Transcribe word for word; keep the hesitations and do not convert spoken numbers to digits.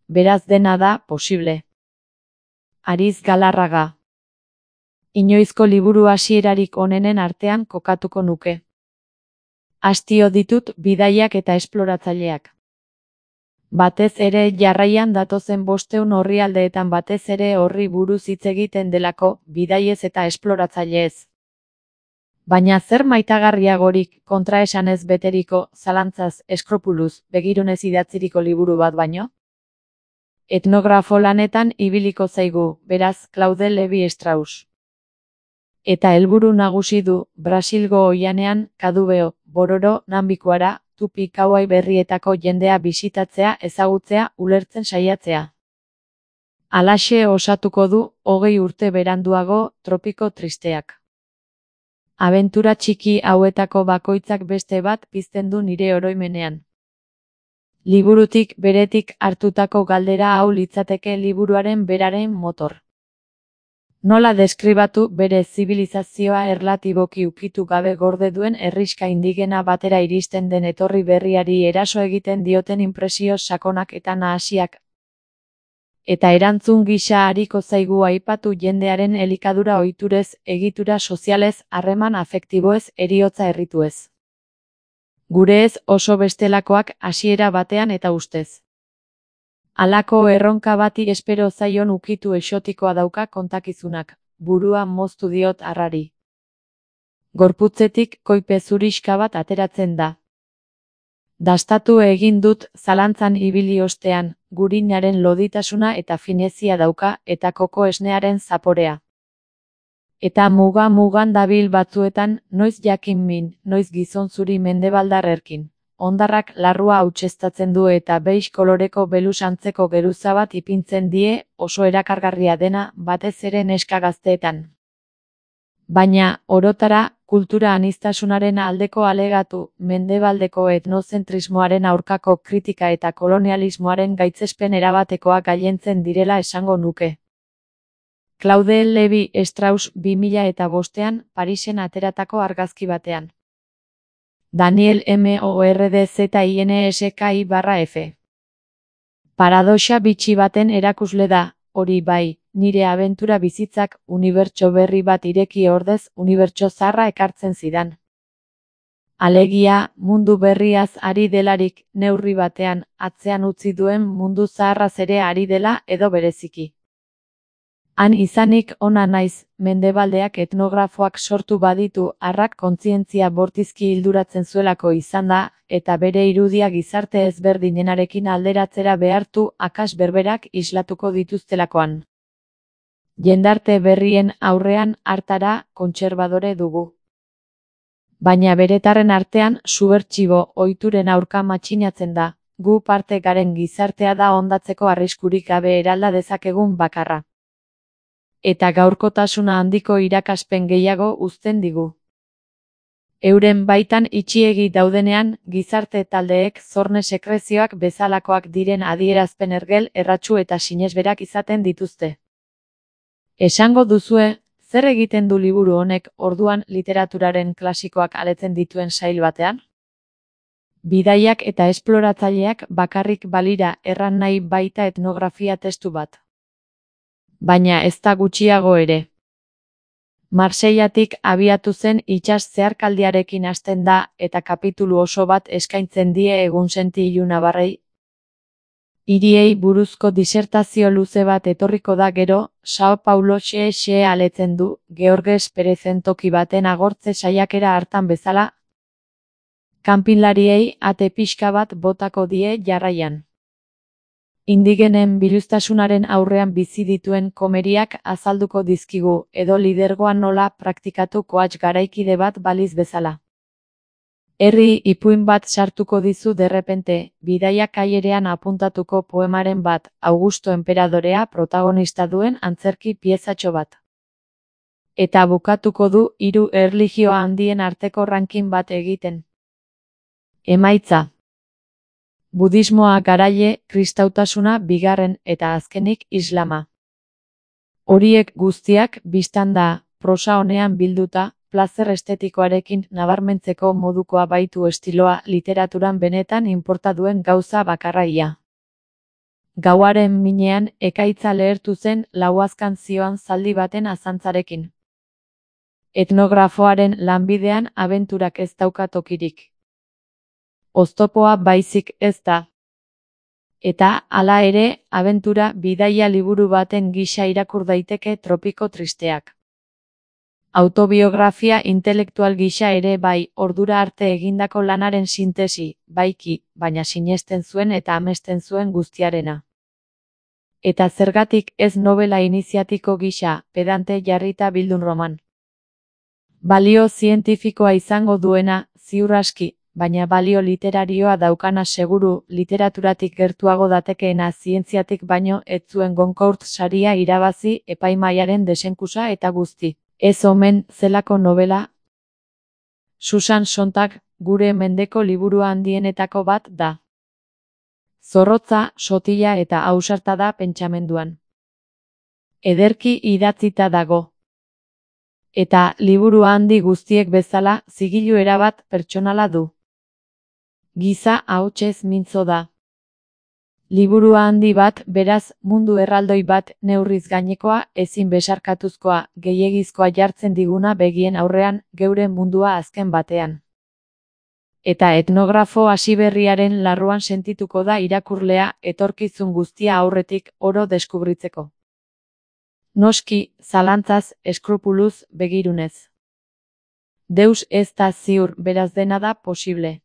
beraz dena da posible. Ariz Galarraga. Inoizko liburu hasierarik onenen artean kokatuko nuke. Hastio ditut bidaiak eta esploratzaileak. Batez ere jarraian datozen bosteun orrialdeetan batez ere horri buruz hitz egiten delako, bidaiez eta esploratzaileez. Baina zer maitagarriagorik kontraesanez beteriko, zalantzaz, eskropuluz, begirunez idatziriko liburu bat baino? Etnografo lanetan ibiliko zaigu, beraz, Claude Lévi-Strauss. Eta helburu nagusi du, Brasilgo oihanean, Kadubeo, Bororo, Nambikuara, Tupi Kauai berrietako jendea bisitatzea, ezagutzea, ulertzen saiatzea. Halaxe osatuko du, hogei urte beranduago, Tropiko tristeak. Abentura txiki hauetako bakoitzak beste bat pizten du nire oroimenean. Liburutik beretik hartutako galdera hau litzateke liburuaren beraren motor. Nola deskribatu bere zibilizazioa erlatiboki ukitu gabe gorde duen herrixka indigena batera iristen den etorri berriari eraso egiten dioten inpresio sakonak eta nahasiak. Eta erantzun gisa ariko zaigu aipatu jendearen elikadura ohiturez, egitura sozialez, harreman afektiboez, heriotza errituez. Gureez oso bestelakoak hasiera batean eta ustez. Halako erronka bati espero zaion ukitu exotikoa dauka kontakizunak, burua moztu diot harrari. Gorputzetik koipe zurixka bat ateratzen da. Dastatu egin dut zalantzan ibili ostean, gurinaren loditasuna eta finezia dauka eta koko esnearen zaporea. Eta muga-mugan dabil batzuetan, noiz jakin min, noiz gizon zuri mendebaldar erkin. Hondarrak larrua hautseztatzen du eta beix koloreko belus antzeko geruza bat ipintzen die, oso erakargarria dena, batez ere neska gazteetan. Baina, orotara, kultura aniztasunaren aldeko alegatu, mendebaldeko etnozentrismoaren aurkako kritika eta kolonialismoaren gaitzespen erabatekoa gailentzen direla esango nuke. Claude Lévi-Strauss bi mila eta bostean, Parisen ateratako argazki batean. Daniel Mordzdinski barra F. Paradoxa bitxi baten erakusle da, hori bai, nire abentura bizitzak, unibertso berri bat ireki ordez, unibertso zarra ekartzen zidan. Alegia, mundu berriaz ari delarik, neurri batean, atzean utzi duen mundu zaharraz ere ari dela edo bereziki. Han izanik ona naiz, mendebaldeak etnografoak sortu baditu harrak kontzientzia bortizki hilduratzen zuelako izan da, eta bere irudia gizarte ezberdinenarekin alderatzera behartu akas berberak islatuko dituztelakoan. Jendarte berrien aurrean hartara kontserbadore dugu. Baina beretarren artean subertsibo ohituren aurka matxinatzen da, gu parte garen gizartea da hondatzeko arriskurik gabe eralda dezakegun bakarra. Eta gaurkotasuna handiko irakaspen gehiago uzten digu. Euren baitan itxiegi daudenean, gizarte taldeek zorne sekrezioak bezalakoak diren adierazpen ergel, erratsu eta sinesberak izaten dituzte. Esango duzue, zer egiten du liburu honek orduan literaturaren klasikoak aletzen dituen sail batean? Bidaiak eta esploratzaileak bakarrik balira erran nahi baita etnografia testu bat. Baina ez da gutxiago ere. Marseillatik abiatu zen itsas zeharkaldiarekin hasten da eta kapitulu oso bat eskaintzen die egunsenti ilunabarrei. Hiriei buruzko disertazio luze bat etorriko da gero, Sao Paulo xe-xe aletzen du, Georges Perezen toki baten agortze saiakera hartan bezala. Kanpinlariei ate pixka bat botako die jarraian. Indigenen biluztasunaren aurrean bizi dituen komeriak azalduko dizkigu, edo lidergoa nola praktikatu koats garaikide bat baliz bezala. Herri ipuin bat sartuko dizu derrepente, bidaiak aierean apuntatuko poemaren bat, Augusto Enperadorea protagonista duen antzerki piezatxo bat. Eta bukatuko du hiru erlijio handien arteko ranking bat egiten. Emaitza. Budismoa garaile, kristautasuna bigarren eta azkenik islama. Horiek guztiak bistan da, prosa honean bilduta, plazer estetikoarekin nabarmentzeko modukoa baitu estiloa literaturan benetan inporta duen gauza bakarraia. Gauaren minean ekaitza lehertu zen lauazkan zioan zaldi baten azantzarekin. Etnografoaren lanbidean abenturak ez dauka tokirik. Oztopoa baizik ez da. Eta, hala ere, abentura bidaia liburu baten gisa irakur daiteke tropiko tristeak. Autobiografia intelektual gisa ere bai, ordura arte egindako lanaren sintesi, baiki, baina sinesten zuen eta amesten zuen guztiarena. Eta zergatik ez novela iniziatiko gisa, pedante jarrita bildun roman. Balio zientifikoa izango duena, ziur aski, baina balio literarioa daukana seguru, literaturatik gertuago datekeena zientziatik baino ez zuen Goncourt saria irabazi epaimahaiaren desenkusa eta guzti. Ez omen zelako novela. Susan Sontag, gure mendeko liburu handienetako bat da. Zorrotza, sotila eta ausarta da pentsamenduan. Ederki idatzita dago. Eta, liburu handi guztiek bezala, zigilu erabat pertsonala du. Giza ahotsez mintzo da. Liburu handi bat, beraz, mundu erraldoi bat, neurriz gainekoa, ezin besarkatuzkoa, gehiegizkoa jartzen diguna begien aurrean, geure mundua azken batean. Eta etnografo hasiberriaren larruan sentituko da irakurlea, etorkizun guztia aurretik, oro deskubritzeko. Noski, zalantzaz, eskrupuluz, begirunez. Deus ez da ziur, beraz dena da posible.